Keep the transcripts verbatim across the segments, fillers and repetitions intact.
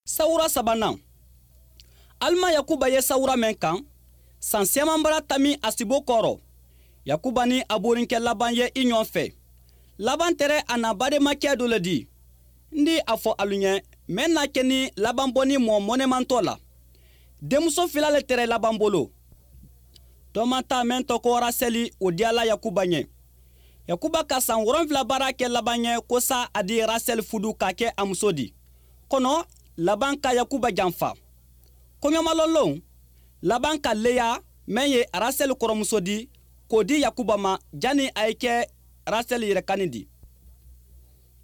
Sawura sabanan, Alima Yakuba ye sawura mɛn kan san siyaman bara tami a sibo kɔrɔ. Yakuba ni a borinkɛ Laban ye i ɲɔgɔn fɛ. Laban tɛrɛ a na badenmakɛ dɔ le di. N di a fɔ alu ɲɛ mɛn na kɛ ni Laban bɔ ni mɔɔ mɔnɛmantɔ la. Denmuso fila le tɛrɛ Laban bolo. Dɔman ta mɛn tɔ ko Rasɛli, o diyala Yakuba ɲɛ. Yakuba ka san wolonfila baara kɛ Laban ɲɛ ko sa a di Rasɛli fudu k'a kɛ a muso di. Kɔnɔ Laban ka Yakuba janfa. Kɔɲɔmalɔlon, Laban ka Leya mɛn ye Rasɛli kɔrɔmuso di k'o di Yakuba ma jani a ye kɛ Rasɛli yɛrɛ kani di.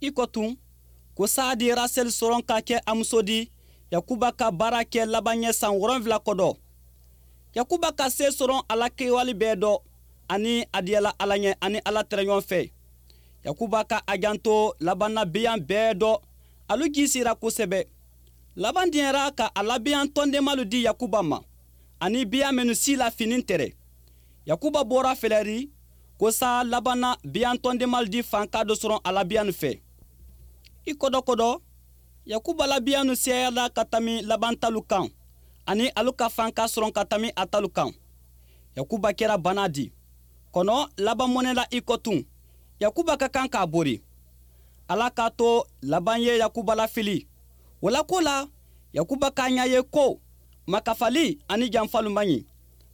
I kɔ tun ko sa di Rasɛli sɔrɔ ka kɛ a muso di, Yakuba ka baara kɛ Laban ɲɛ san wolonfila kɔdɔ. Yakuba ka se sɔrɔ a la kɛwale bɛɛ dɔ ani a diyala Ala ɲɛ ani Ala tɛrɛ ɲɔgɔn fɛ. Yakuba ka a janto Laban na biyan bɛɛ dɔ, alu ji sera kosɛbɛ. Laban diɲɛra ka a la biyan tɔndenmalu di Yakuba ma ani biyan minnu si la fini tɛrɛ. Yakuba bɔra fɛlɛri ko sa Laban na biyan tɔndenmalu di fanka dɔ sɔrɔ a la biyan fɛ. I kɔdɔkɔdɔ, Yakuba la biyan nu siyayala ka tami Laban talu kan ani alu ka fanka sɔrɔ ka tami a talu kan. Yakuba kɛra bana di. Kɔnɔ Laban mɔnɛla i kɔ tun. Yakuba ka kan k'a bori. Ala k'a to Laban ye Yakuba lafili. O la ko la, Yakuba k'a ɲɛ ye ko makafali ani janfalu man ɲi.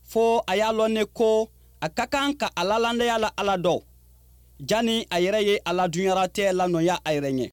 Fo a y'a lɔn ne ko a ka kan ka a lalandaya la Ala dɔ. Jani a yɛrɛ ye a la duɲaratɛ lanɔya a yɛrɛ ɲɛ.